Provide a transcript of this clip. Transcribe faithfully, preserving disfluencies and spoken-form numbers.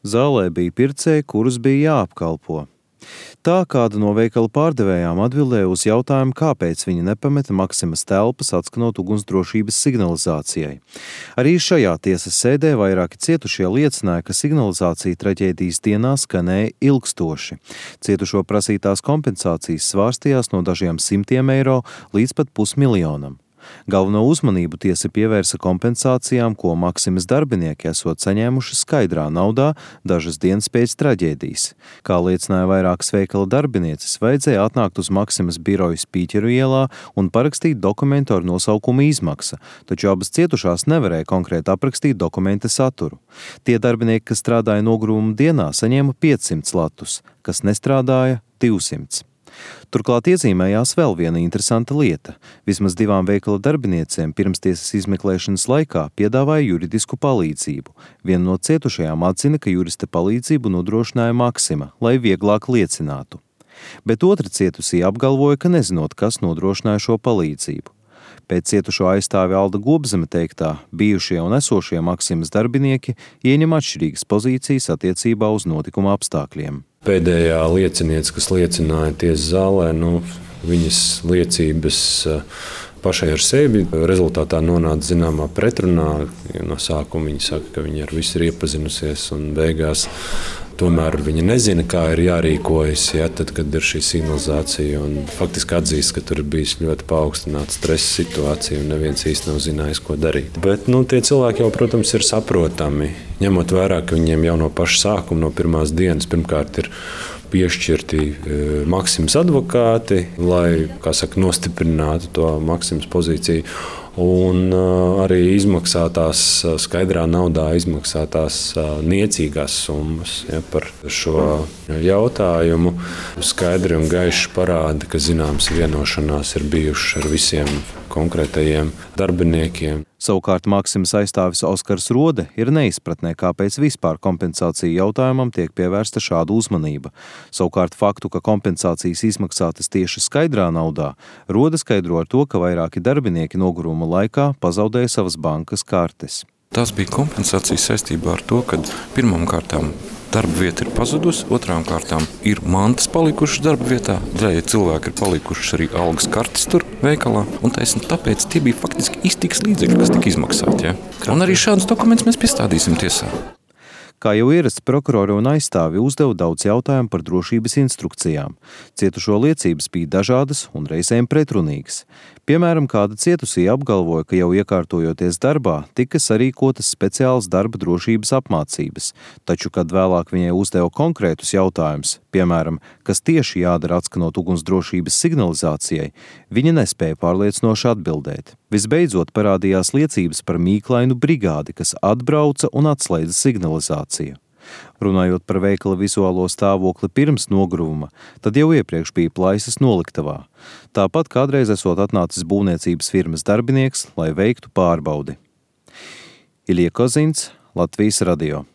Zālē bija pircēji, kurus bija jāapkalpo. Tā kāda no veikala pārdevējām atbildēja uz jautājumu, kāpēc viņa nepameta Maksimas telpas, atskanot ugunsdrošības signalizācijai. Arī šajā tiesas sēdē vairāki cietušie liecināja, ka signalizācija traģēdijas dienā skanēja ilgstoši. Cietušo prasītās kompensācijas svārstījās no dažiem simtiem eiro līdz pat pusmiljonam. Galveno uzmanību tiesa pievērsa kompensācijām, ko Maksimas darbinieki esot saņēmuši skaidrā naudā dažas dienas pēc traģēdijas. Kā liecināja vairākas veikala darbinieces, vajadzēja atnākt uz Maksimas biroju Spīķeru ielā un parakstīt dokumentu ar nosaukumu izmaksa, taču abas cietušās nevarēja konkrēti aprakstīt dokumenta saturu. Tie darbinieki, kas strādāja nogrūmuma dienā, saņēma piecsimt latus, kas nestrādāja divsimt. Turklāt iezīmējās vēl viena interesanta lieta. Vismaz divām veikala darbiniecēm pirmstiesas izmeklēšanas laikā piedāvāja juridisku palīdzību. Viena no cietušajām atzina, ka jurista palīdzību nodrošināja Maksima, lai vieglāk liecinātu. Bet otra cietusī apgalvoja, ka nezinot, kas nodrošināja šo palīdzību. Pēc cietušo aizstāvi Alda Gobzeme teiktā, bijušie un esošie Maksimas darbinieki ieņem atšķirīgas pozīcijas attiecībā uz notikuma apstākļiem. Pēdējā lieciniece, kas liecināja tiesas zālē, nu, viņas liecības pašai ar sevi rezultātā nonāca zināmā pretrunā. No sākuma viņa saka, ka viņa ar visu ir iepazinusies un beigās tomēr viņa nezina, kā ir jārīkojas, ja, tad, kad ir šī signalizācija. Un faktiski atzīst, ka tur ir bijis ļoti paaugstināts stresa situācija un neviens īsti nav zinājis, ko darīt. Bet nu, tie cilvēki jau, protams, ir saprotami. Ņemot vērā, ka viņiem jau no paša sākuma, no pirmās dienas, pirmkārt ir piešķirti Maksimas advokāti, lai, kā saka, nostiprinātu to Maksimas pozīciju. Un uh, arī izmaksātās, skaidrā naudā izmaksātās uh, niecīgās summas, ja, par šo jautājumu. Skaidri un gaiši parāda, ka zināmas vienošanās ir bijušas ar visiem konkrētajiem darbiniekiem. Savukārt Maksimas aizstāvis Oskars Rode ir neizpratnē, kāpēc vispār kompensāciju jautājumam tiek pievērsta šāda uzmanība. Savukārt faktu, ka kompensācijas izmaksātas tieši skaidrā naudā, Rode skaidro ar to, ka vairāki darbinieki noguruma laikā pazaudēja savas bankas kartes. Tās bija kompensācijas saistībā ar to, ka pirmām kārtām darba vieta ir pazudusi, otrām kārtām ir mantas palikušas darba vietā, daļai cilvēki ir palikušas arī algas kartes tur veikalā, un taisni tāpēc tie bija faktiski iztikas līdzekļi, kas tika izmaksāti. Ja? Un arī šādus dokumentus mēs piestādīsim tiesā. Kā jau ierasts, prokurori un aizstāvi uzdeva daudz jautājumu par drošības instrukcijām. Cietušo liecības bija dažādas un reizēm pretrunīgas. Piemēram, kāda cietusī apgalvoja, ka jau iekārtojoties darbā, tika sarīkotas speciālas darba drošības apmācības, taču, kad vēlāk viņai uzdeva konkrētus jautājumus, piemēram, kas tieši jādara atskanot ugunsdrošības signalizācijai, viņa nespēja pārliecinoši atbildēt. Visbeidzot parādījās liecības par mīklainu brigādi, kas atbrauca un atslēdza signalizāciju. Runājot par veikala vizuālo stāvokli pirms nogruvuma, tad jau iepriekš bija plaisas noliktavā. Tāpat kādreiz esot atnācis būvniecības firmas darbinieks, lai veiktu pārbaudi. Ilija Kozins, Latvijas radio.